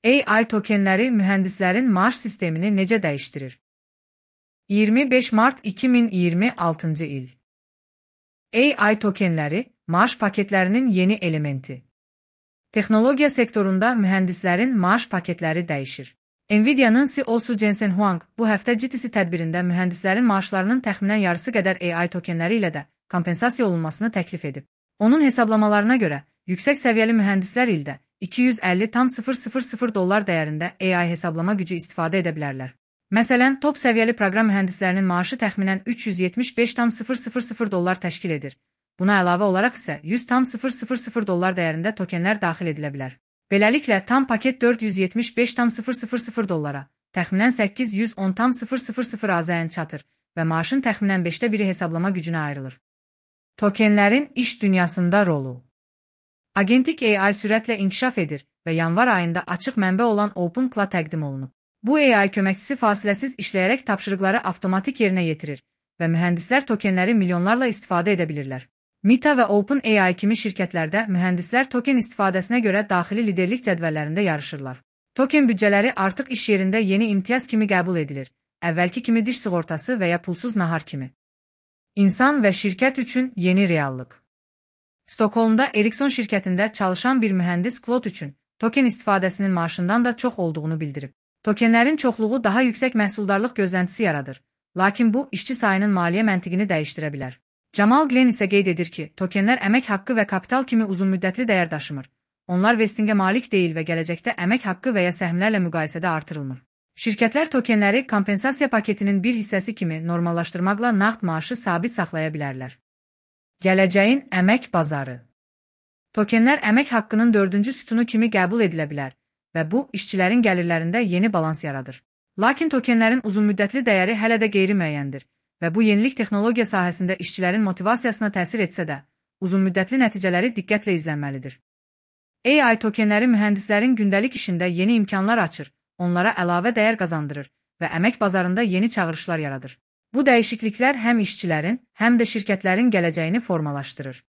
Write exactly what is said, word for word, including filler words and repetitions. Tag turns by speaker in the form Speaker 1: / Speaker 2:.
Speaker 1: A I tokenləri mühəndislərin maaş sistemini necə dəyişdirir? iyirmi beş mart iki min iyirmi altıncı il. A I tokenləri maaş paketlərinin yeni elementi. Texnologiya sektorunda mühəndislərin maaş paketləri dəyişir. Nvidia'nın C E O'su Jensen Huang bu həftə G T C tədbirində mühəndislərin maaşlarının təxminən yarısı qədər A I tokenləri ilə də kompensasiya olunmasını təklif edib. Onun hesablamalarına görə, yüksək səviyyəli mühəndislər ildə iki yüz əlli min dollar dəyərində A I hesablama gücü istifadə edə bilərlər. Məsələn, top səviyyəli proqram mühəndislərinin maaşı təxminən üç yüz yetmiş beş min dollar təşkil edir. Buna əlavə olaraq isə yüz min dollar dəyərində tokenlər daxil edilə bilər. Beləliklə, tam paket dörd yüz yetmiş beş min dollara, təxminən səkkiz yüz on min azəyin çatır və maaşın təxminən beşdə biri hesablama gücünə ayrılır. Tokenlərin iş dünyasında rolu. Agentik A I sürətlə inkişaf edir və yanvar ayında açıq mənbə olan OpenClaw təqdim olunub. Bu A I köməkçisi fasiləsiz işləyərək tapşırıqları avtomatik yerinə yetirir və mühəndislər tokenləri milyonlarla istifadə edə bilirlər. Meta və OpenAI kimi şirkətlərdə mühəndislər token istifadəsinə görə daxili liderlik cədvəllərində yarışırlar. Token büdcələri artıq iş yerində yeni imtiyaz kimi qəbul edilir, əvvəlki kimi diş sığortası və ya pulsuz nahar kimi. İnsan və şirkət üçün yeni reallıq. Stokholmda Ericsson şirkətində çalışan bir mühəndis Claude üçün token istifadəsinin maaşından da çox olduğunu bildirib. Tokenlərin çoxluğu daha yüksək məhsuldarlıq gözləntisi yaradır, lakin bu, işçi sayının maliyyə məntiqini dəyişdirə bilər. Jamal Glenn isə qeyd edir ki, tokenlər əmək haqqı və kapital kimi uzunmüddətli dəyər daşımır. Onlar vestingə malik deyil və gələcəkdə əmək haqqı və ya səhmlərlə müqayisədə artırılmır. Şirkətlər tokenləri kompensasiya paketinin bir hissəsi kimi normallaşdırmaqla nağd maaşı sabit saxlaya bilərlər. Gələcəyin əmək bazarı. Tokenlər əmək haqqının dördüncü sütunu kimi qəbul edilə bilər və bu, işçilərin gəlirlərində yeni balans yaradır. Lakin tokenlərin uzunmüddətli dəyəri hələ də qeyri-müəyyəndir və bu yenilik texnologiya sahəsində işçilərin motivasiyasına təsir etsə də, uzunmüddətli nəticələri diqqətlə izlənməlidir. A I tokenləri mühəndislərin gündəlik işində yeni imkanlar açır, onlara əlavə dəyər qazandırır və əmək bazarında yeni çağırışlar yaradır. Bu dəyişikliklər həm işçilərin, həm də şirkətlərin gələcəyini formalaşdırır.